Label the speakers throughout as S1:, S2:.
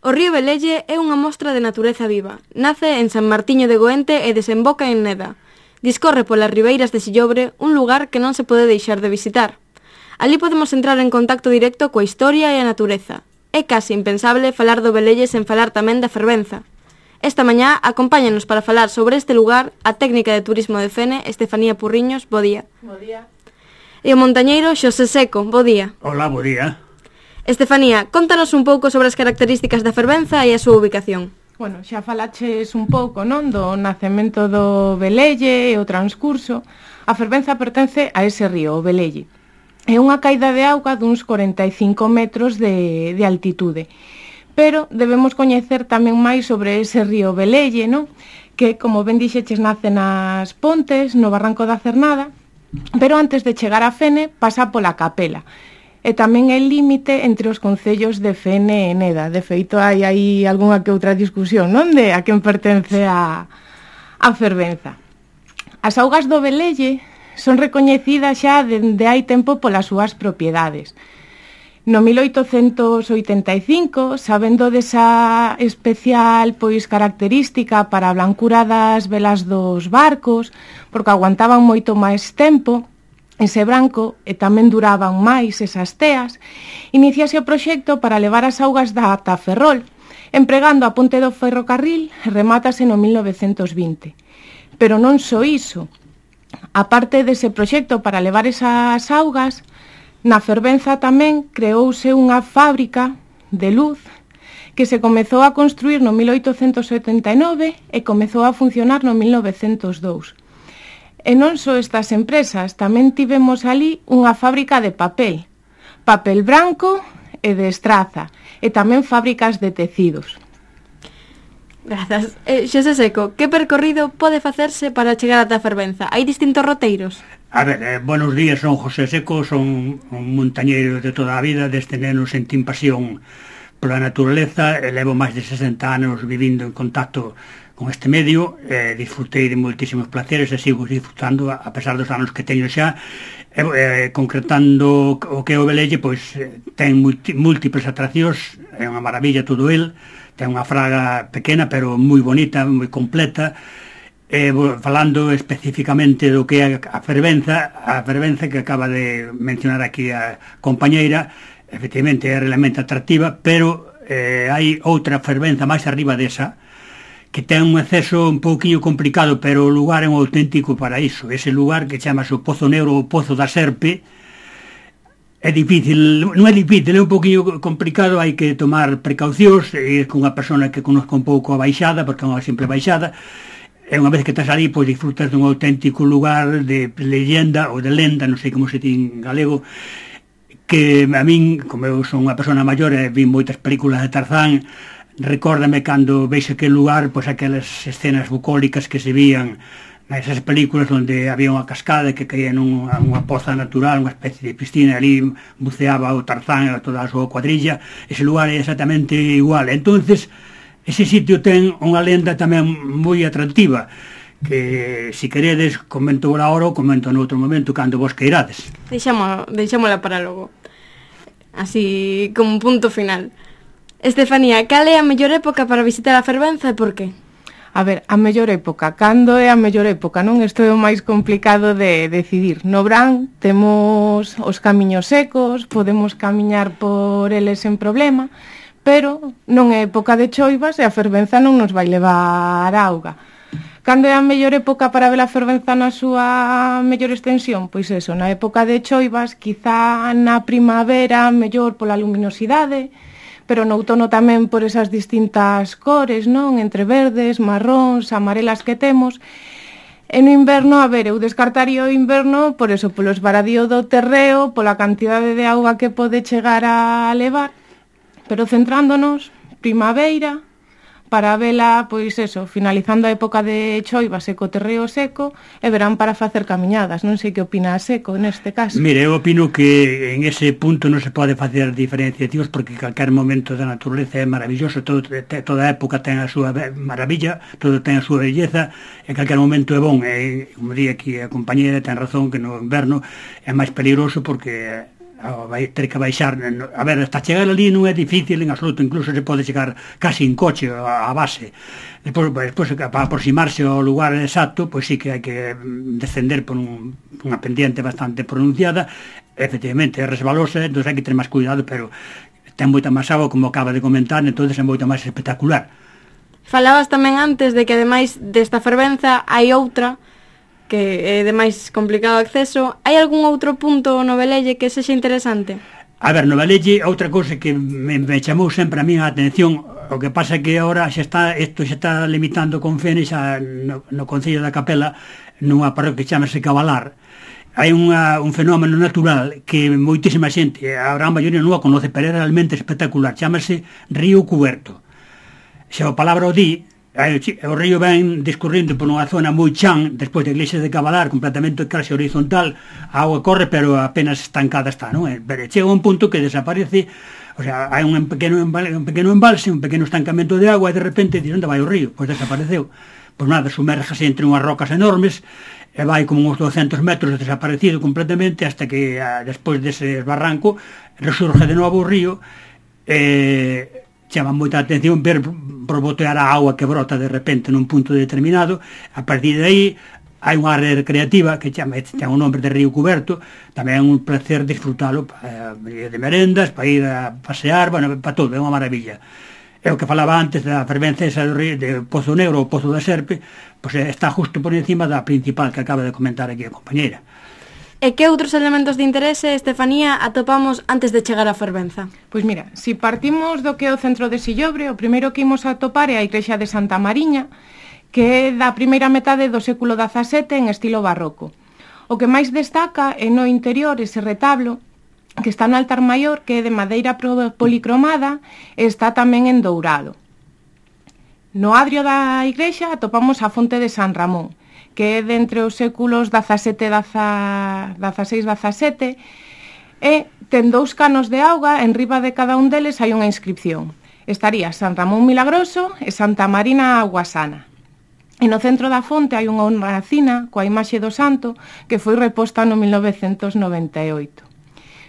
S1: O río Velelle é unha mostra de natureza viva. Nace en San Martiño de Goente e desemboca en Neda. Discorre polas ribeiras de Sillobre, un lugar que non se pode deixar de visitar. Ali podemos entrar en contacto directo coa historia e a natureza. É case impensable falar do Velelle sen falar tamén da fervenza. Esta mañá acompáñanos para falar sobre este lugar a técnica de turismo de Fene, Estefanía Purriños. Bo día.
S2: Bo día.
S1: E o montañeiro Xosé Seco. Bo día.
S3: Hola, bo día.
S1: Estefanía, contanos un pouco sobre as características da fervenza e a súa ubicación.
S2: Bueno, xa falaches un pouco, non, do nacemento do Velelle e o transcurso. A fervenza pertence a ese río, o Velelle. É unha caída de auga duns 45 metros de altitude. Pero debemos coñecer tamén máis sobre ese río Velelle, non? Que, como ben dixeches, nace nas Pontes, no Barranco da Cernada, pero antes de chegar a Fene pasa pola Capela. E tamén é límite entre os concellos de Fene e Neda. De feito, hai aí algunha que outra discusión, non? De a quen pertence a fervenza. As augas do Velelle son recoñecidas xa dende hai tempo polas súas propiedades. No 1885, sabendo desa especial característica para a blancura das velas dos barcos, porque aguantaban moito máis tempo, ese branco, e tamén duraban máis esas teas, iniciase o proxecto para levar as augas ata Ferrol, empregando a ponte do ferrocarril, e remátase no 1920. Pero non só iso. A parte dese proxecto para levar esas augas, na fervenza tamén creouse unha fábrica de luz que se comezou a construir no 1879 e comezou a funcionar no 1902. E non só estas empresas, tamén tivemos ali unha fábrica de papel branco e de estraza, e tamén fábricas de tecidos.
S1: Grazas. Xosé Seco, que percorrido pode facerse para chegar ata a fervenza? Hai distintos roteiros?
S3: A ver, buenos días, son José Seco, son un montañeiro de toda a vida, desde neno sentín pasión pola naturaleza, e levo máis de 60 anos vivindo en contacto con este medio, disfrutei de moitísimos placeres e sigo disfrutando a pesar dos anos que teño xa, concretando o que é o Velelle, pois ten múltiples atraccións, é unha maravilla todo el, ten unha fraga pequena pero moi bonita, moi completa. Falando especificamente do que é a fervenza que acaba de mencionar aquí a compañeira, efectivamente é realmente atractiva, pero hai outra fervenza máis arriba desa, que ten un acceso un pouquinho complicado, pero o lugar é un auténtico paraíso. Ese lugar que chamase o Pozo Negro ou Pozo da Serpe é difícil, non é difícil, é un pouquinho complicado, hai que tomar precaucións, e con unha persona que conozca un pouco a baixada, porque é unha simple baixada, e unha vez que estás ali, pois disfrutas dun auténtico lugar de leyenda ou de lenda, non sei como se din en galego, que a min, como eu son unha persona maior e vi moitas películas de Tarzán, recórdame cando veis aquel lugar, pois aquelas escenas bucólicas que se vían nesas películas onde había unha cascada que caía nunha poza natural, unha especie de piscina, ali buceaba o Tarzán e toda a súa cuadrilla. Ese lugar é exactamente igual. Entonces, ese sitio ten unha lenda tamén moi atractiva, que se queredes comento ahora ou comento noutro momento cando vos queirades.
S1: Deixámola para logo, así como un punto final. Estefanía, cal é a mellor época para visitar a fervenza e por qué?
S2: A ver, a mellor época, cando é a mellor época, non? Isto é o máis complicado de decidir. No verán temos os camiños secos, podemos camiñar por eles sen problema, pero non é época de choivas e a fervenza non nos vai levar auga. Cando é a mellor época para ver a fervenza na súa mellor extensión? Pois eso, na época de choivas, quizá na primavera, mellor pola luminosidade, pero no outono tamén por esas distintas cores, non? Entre verdes, marróns, amarelas que temos. E no inverno, a ver, eu descartaría o inverno por eso, polo esvaradío do terreo, pola cantidade de auga que pode chegar a levar, pero centrándonos, primavera, para vela, pois eso, finalizando a época de choiva, seco, terreo seco, e verán para facer camiñadas. Non sei que opina Seco neste caso.
S3: Mire, eu opino que en ese punto non se pode facer diferenciacións, porque calquer momento da naturaleza é maravilloso, toda época ten a súa maravilla, todo ten a súa belleza, e calquer momento é bon. E, como di aquí a compañera, ten razón que no inverno é máis peligroso porque vai ter que baixar, a ver, hasta chegar ali non é difícil en absoluto, incluso se pode chegar casi en coche a base. Despois para aproximarse ao lugar exacto, pois sí que hai que descender por unha pendiente bastante pronunciada, efectivamente é resbalosa, entón hai que ter máis cuidado, pero ten moita máis agua, como acaba de comentar, entón é moita máis espectacular.
S1: Falabas tamén antes de que ademais desta fervenza hai outra que é de máis complicado acceso. Hai algún outro punto no Velelle que sexa interesante?
S3: A ver, no Velelle, outra cousa que me chamou sempre a mí a atención, o que pasa é que agora isto xa está limitando con Fene xa no Concello da Capela, nunha parroquia que chamase Cabalar. Hai un fenómeno natural que moitísima xente, a gran maioría non a conoce, pero é realmente espectacular, chamase Río Cuberto. Xa a palabra o di, o río ven discurrindo por unha zona moi chan, despois da iglesia de Cabalar, completamente casi horizontal, a auga corre, pero apenas estancada está, non? Pero chega un punto que desaparece, o sea, hai un pequeno embalse, un pequeno estancamento de agua, e de repente, onde vai o río? Pois desapareceu. Pois nada, sumérgase entre unhas rocas enormes, e vai como uns 200 metros desaparecido completamente, hasta que despois dese barranco resurge de novo o río, chama moita atención ver borbotear a auga que brota de repente nun punto determinado. A partir de aí hai unha área recreativa que ten o nombre de Río Cuberto, tamén é un placer disfrutalo de merendas, para ir a pasear, bueno, para todo, é unha maravilla. É o que falaba antes da fervenza esa do río, de Pozo Negro ou Pozo da Serpe, pois está justo por encima da principal que acaba de comentar aquí a compañeira.
S1: E que outros elementos de interese, Estefanía, atopamos antes de chegar á fervenza?
S2: Pois mira, se partimos do que é o centro de Sillobre, o primeiro que imos a atopar é a igrexa de Santa Mariña, que é da primeira metade do século XVII en estilo barroco. O que máis destaca é no interior ese retablo, que está no altar maior, que é de madeira policromada, e está tamén en dourado. No adrio da igrexa atopamos a fonte de San Ramón, que é de entre os séculos XVI e XVII, e ten 2 canos de auga, en riba de cada un deles hai unha inscripción. Estaría San Ramón Milagroso e Santa Marina Aguasana. E no centro da fonte hai unha hornacina coa imaxe do santo que foi reposta no 1998.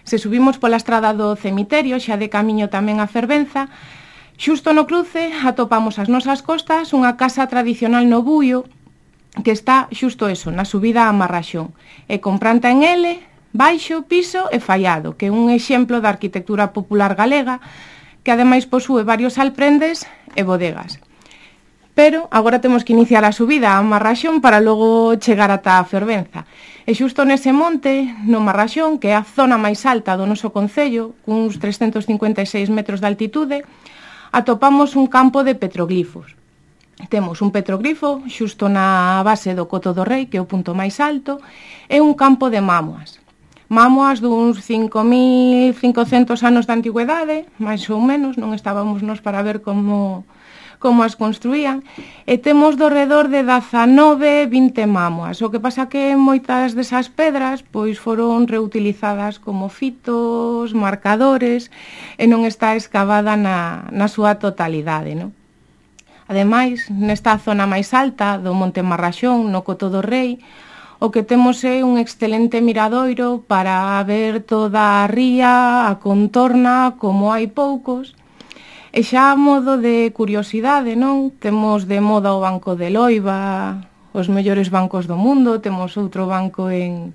S2: Se subimos pola estrada do cemiterio, xa de camiño tamén a fervenza, xusto no cruce atopamos as nosas costas unha casa tradicional no Buio, que está xusto eso, na subida a Marraxón, e con planta en L, baixo, piso e fallado, que é un exemplo da arquitectura popular galega, que ademais posúe varios alprendes e bodegas. Pero agora temos que iniciar a subida a Marraxón para logo chegar ata a fervenza. E xusto nese monte, no Marraxón, que é a zona máis alta do noso concello, cuns 356 metros de altitude, atopamos un campo de petroglifos. Temos un petroglifo xusto na base do Coto do Rei, que é o punto máis alto, e un campo de mámoas. Mámoas duns 5.500 anos de antigüedade, máis ou menos, non estábamos nos para ver como as construían, e temos do redor de 19-20 mámoas. O que pasa que moitas desas pedras pois foron reutilizadas como fitos, marcadores, e non está escavada na súa totalidade, non? Ademais, nesta zona máis alta do Monte Marraxón, no Coto do Rei, o que temos é un excelente miradoiro para ver toda a ría, a contorna, como hai poucos. E xa a modo de curiosidade, non? Temos de moda o Banco de Loiba, os mellores bancos do mundo, temos outro banco en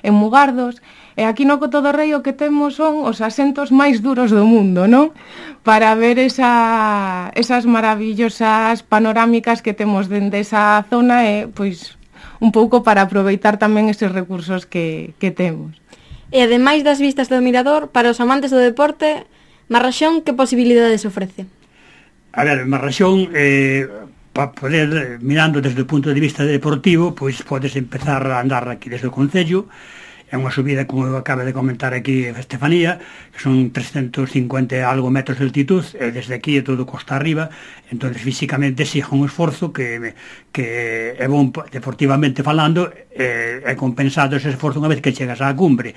S2: Mugardos, e aquí no Coto do Rei o que temos son os asentos máis duros do mundo, non? Para ver esas maravillosas panorámicas que temos dende esa zona e, pois, un pouco para aproveitar tamén eses recursos que temos.
S1: E ademais das vistas do mirador, para os amantes do deporte, Marraxón, que posibilidades ofrece?
S3: A ver, Marraxón, para poder, mirando desde o punto de vista deportivo, pois podes empezar a andar aquí desde o Concello. É unha subida, como acaba de comentar aquí Estefanía, que son 350 e algo metros de altitud, e desde aquí é todo costa arriba, entón físicamente siga un esforzo que é bon deportivamente falando, é compensado ese esforzo unha vez que chegas á cumbre,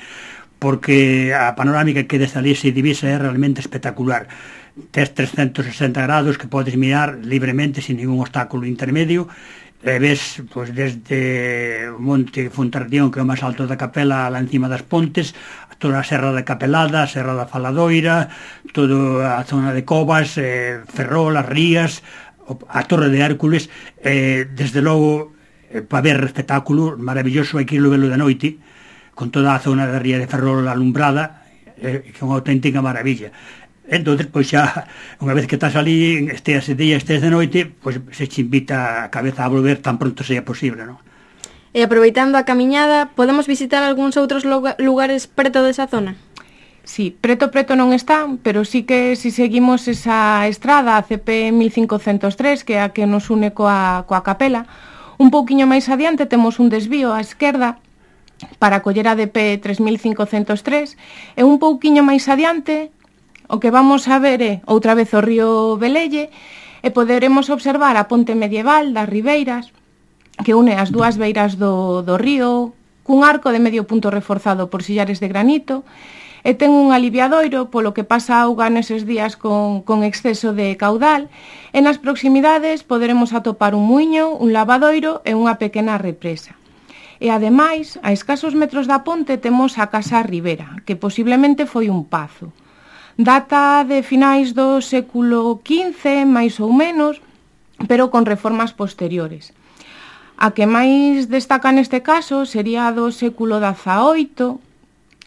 S3: porque a panorámica que desde ali se divisa é realmente espectacular. Tes 360 grados que podes mirar libremente sin ningún obstáculo intermedio, ves pois, desde o monte Fontardión, que é o máis alto da Capela, lá encima das Pontes, toda a Serra da Capelada, a Serra da Faladoira, toda a zona de Covas, Ferrol, as Rías, a Torre de Hércules, desde logo, para ver espectáculo maravilloso, hai que irlo velo de noite, con toda a zona da Ría de Ferrol alumbrada, que é unha auténtica maravilla. Entón, pois xa, unha vez que estás ali, estés de día, estés de noite, pois se te invita a cabeza a volver tan pronto sea posible, non?
S1: E aproveitando a camiñada, podemos visitar algúns outros lugares preto desa zona?
S2: Sí, preto non están, pero sí que si seguimos esa estrada, a CP 1503, que é a que nos une coa Capela, un pouquiño máis adiante temos un desvío á esquerda para coller a DP 3503, e un pouquiño máis adiante o que vamos a ver é outra vez o río Velelle, e poderemos observar a ponte medieval das Ribeiras, que une as dúas beiras do río, cun arco de medio punto reforzado por sillares de granito, e ten un aliviadoiro polo que pasa auga neses días con exceso de caudal, e nas proximidades poderemos atopar un muiño, un lavadoiro e unha pequena represa. E ademais, a escasos metros da ponte temos a Casa Ribera, que posiblemente foi un pazo. Data de finais do século XV, máis ou menos, pero con reformas posteriores. A que máis destaca neste caso sería a do século XVIII,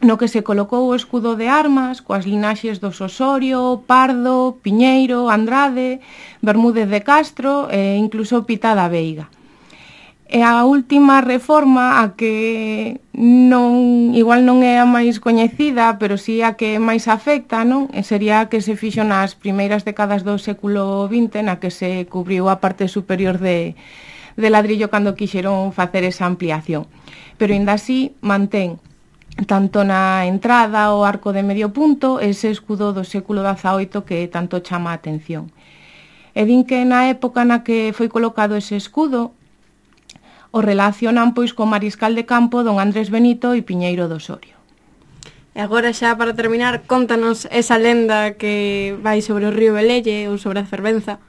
S2: no que se colocou o escudo de armas coas linaxes dos Osorio, Pardo, Piñeiro, Andrade, Bermúdez de Castro e incluso Pita da Veiga. E a última reforma, a que igual non é a máis coñecida, pero si a que máis afecta, non? Sería a que se fixo nas primeiras décadas do século XX, na que se cubriu a parte superior de ladrillo cando quixeron facer esa ampliación. Pero ainda así mantén tanto na entrada o arco de medio punto ese escudo do século XVIII que tanto chama a atención. E din que na época na que foi colocado ese escudo o relacionan pois co mariscal de campo don Andrés Benito e Piñeiro do Osorio.
S1: E agora xa para terminar, contanos esa lenda que vai sobre o río Velelle ou sobre a fervenza.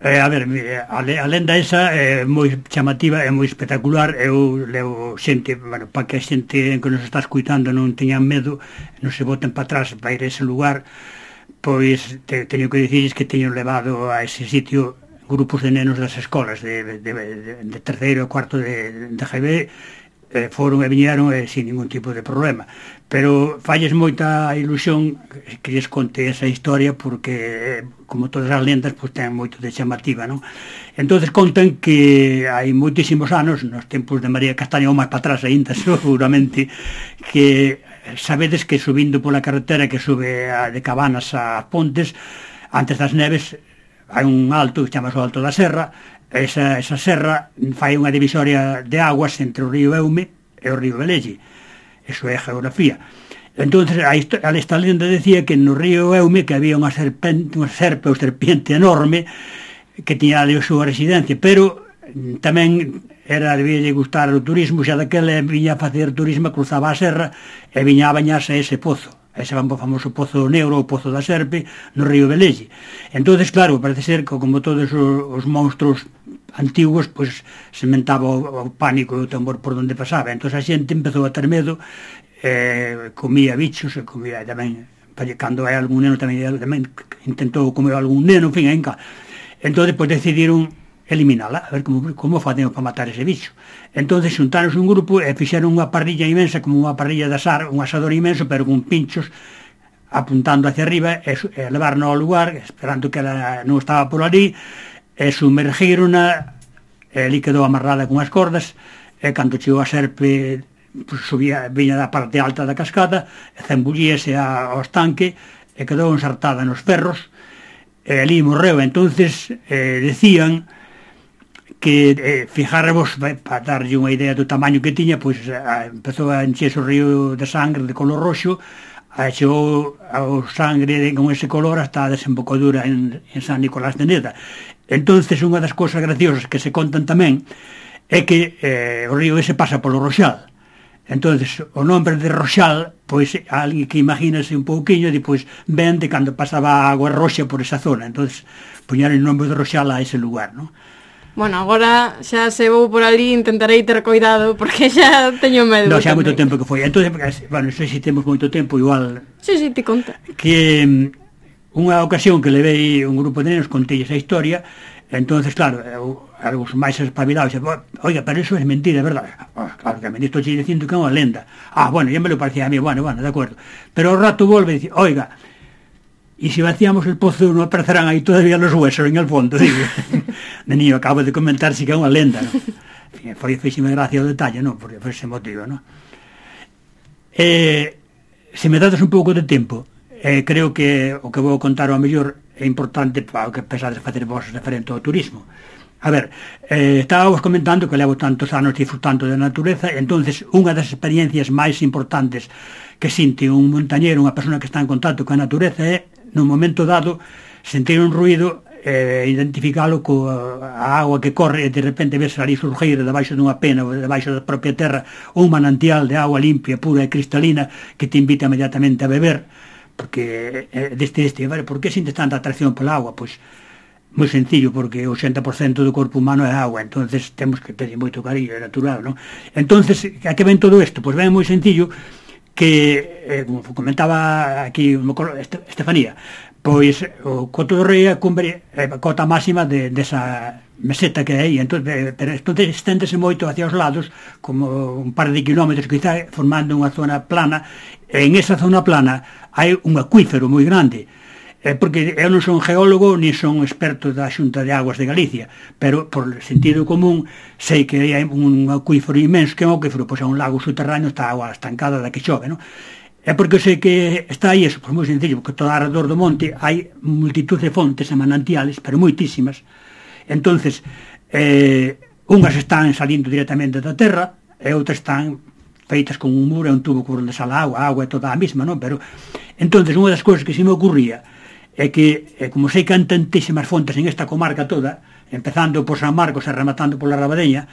S3: A ver, a lenda esa é moi chamativa, é moi espectacular. Eu levo xente, bueno, para que a xente que nos está escuitando non teñan medo, non se boten para atrás para ir a ese lugar, pois teño que dicirles que teño levado a ese sitio grupos de nenos das escolas de terceiro e cuarto de GB, foron e viñeron sin ningún tipo de problema, pero falles moita ilusión que lles conte esa historia, porque como todas as lendas pois ten moito de chamativa, non? Entonces contan que hai moitísimos anos, nos tempos de María Castaña ou máis para atrás aínda seguramente, que sabedes que subindo pola carretera que sube de Cabanas a Pontes, antes das neves hai un alto que chama o Alto da Serra. Esa serra fai unha divisoria de aguas entre o río Eume e o río Velelle. Eso é a geografía. Entón, esta lenda decía que no río Eume que había unha serpe ou serpiente enorme que tiña ali a súa residencia, pero tamén debía gustar o turismo, xa daquela viña a facer turismo, cruzaba a serra e viña a bañarse a ese pozo, ese famoso pozo negro, o pozo da serpe, no río Velelle. Entón, claro, parece ser que como todos os monstruos antigos, pois sementaba o pánico e o temor por onde pasaba. Entón a xente empezou a ter medo, comía bichos, e comía tamén, cando hai algún neno tamén intentou comer algún neno, en fin, entón depois decidiron eliminala, a ver como facemos para matar ese bicho. Entón xuntaron un grupo e fixeron unha parrilla imensa, como unha parrilla de asar, un asador imenso, pero con pinchos apuntando hacia arriba, e levarnos ao lugar, esperando que ela non estaba por ali, e sumergirona, e ali quedou amarrada con as cordas, e cando chegou a serpe subía, viña da parte alta da cascada, e zambullíase ao estanque, e quedou ensartada nos ferros, e ali morreu. Entonces decían que fijarvos, para darlle unha idea do tamaño que tiña, pois empezou a encherse o río de sangre de color roxo, chegou ao sangre con ese color hasta a desembocadura en San Nicolás de Neda. Entonces, unha das cousas graciosas que se contan tamén é que o río ese pasa polo Roxal. Entonces, o nombre de Roxal, pois, alguén que imagínase un pouquiño, depois ven de cando pasaba a agua roxa por esa zona. Entonces, poñeron o nome de Roxal a ese lugar, non?
S1: Bueno, agora xa se vou por ali intentarei ter cuidado porque xa teño medo.
S3: Non, xa moito tempo que foi. Entón, bueno, non sei se temos moito tempo, igual...
S1: Sí, ti conta.
S3: Que unha ocasión que levei un grupo de nenos, contei esa historia, entonces, claro, algúns máis espabilados, oiga, pero eso é mentira, é verdade? Claro, que a mí estou dicindo que é unha lenda. Bueno, ya me lo parecía a mí, bueno, de acuerdo. Pero ao rato volve e dice, oiga, y si vaciamos el pozo no aparecerán ahí todavía los huesos en el fondo, digo. De niño acabo de comentar si que é unha lenda, ¿no? Fíxeme gracia o detalle, ¿no? Por ese motivo, ¿no? Se me dades un pouco de tempo, creo que o que vou contar ao mellor é importante para o que pensades facer vos referente ao turismo. A ver, estábamos comentando que levo tantos anos disfrutando da natureza, entonces unha das experiencias máis importantes que sinte un montañero, unha persona que está en contacto coa natureza é, nun momento dado, sentir un ruido, identificalo coa agua que corre e de repente ves ali surgir debaixo dunha pena ou debaixo da propia terra un manantial de agua limpia, pura e cristalina que te invita inmediatamente a beber, porque por que sintes tanta atracción pola agua? Pois moi sencillo, porque o 80% do corpo humano é agua, entonces temos que ter moito cariño, é natural, non? Entonces, a que ven todo isto? Pois ven moi sencillo que, como comentaba aquí Estefanía, pois o Coto do Rei é a cota máxima desa meseta que hai, entón esténdese moito hacia os lados, como un par de kilómetros quizá, formando unha zona plana, e en esa zona plana hai un acuífero moi grande, porque eu non son geólogo ni son experto da Xunta de Aguas de Galicia, pero por sentido común sei que hai un acuífero inmenso, que é un acuífero, pois é un lago subterráneo, está a agua estancada da que chove, non? É porque eu sei que está aí eso, pois moi sencillo, porque todo alrededor do monte hai multitud de fontes e manantiales, pero moitísimas. Entonces, unhas están salindo directamente da terra e outras están feitas con un muro e un tubo por onde sale a agua é toda a mesma, non? Pero entonces, unha das cousas que se me ocurría é que, como sei que hai tantísimas fontes en esta comarca toda, empezando por San Marcos e rematando pola Rabadeña,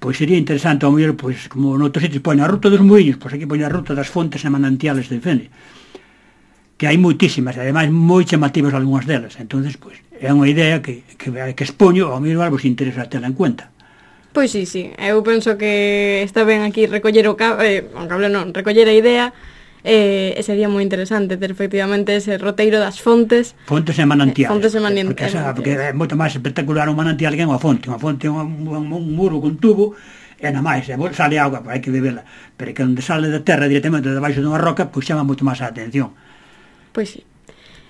S3: pois sería interesante, ao mellor, pois, como noutros sitios poñen a ruta dos muiños, pois aquí poñen a ruta das fontes e manantiales de Fene, que hai moitísimas, e ademais moi chamativas algunhas delas. Entonces, pois, é unha idea que expoño, ao mellor vos interesa tela en cuenta.
S1: Pois sí, eu penso que está ben aquí recoller recoller a idea, e sería moi interesante ter efectivamente ese roteiro das fontes
S3: e manantiales,
S1: porque
S3: é moito máis espectacular un manantial que unha fonte é un muro con tubo e nada máis, sale agua, hai que bebela, pero que onde sale da terra directamente debaixo dunha roca, pois chama moito máis a atención.
S1: Pois sí.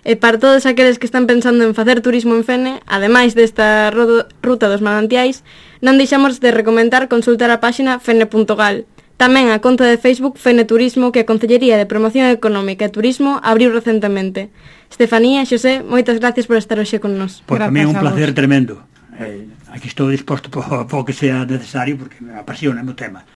S1: E para todos aqueles que están pensando en facer turismo en Fene, ademais desta ruta dos manantiais, non deixamos de recomendar consultar a páxina fene.gal. Tamén a conta de Facebook Fene Turismo, que a Concellería de Promoción Económica e Turismo abriu recentemente. Estefanía, Xosé, moitas gracias por estar hoxe con nos.
S3: Pois tamén un placer tremendo. Aquí estou disposto para o que sea necesario, porque me apasiona o tema.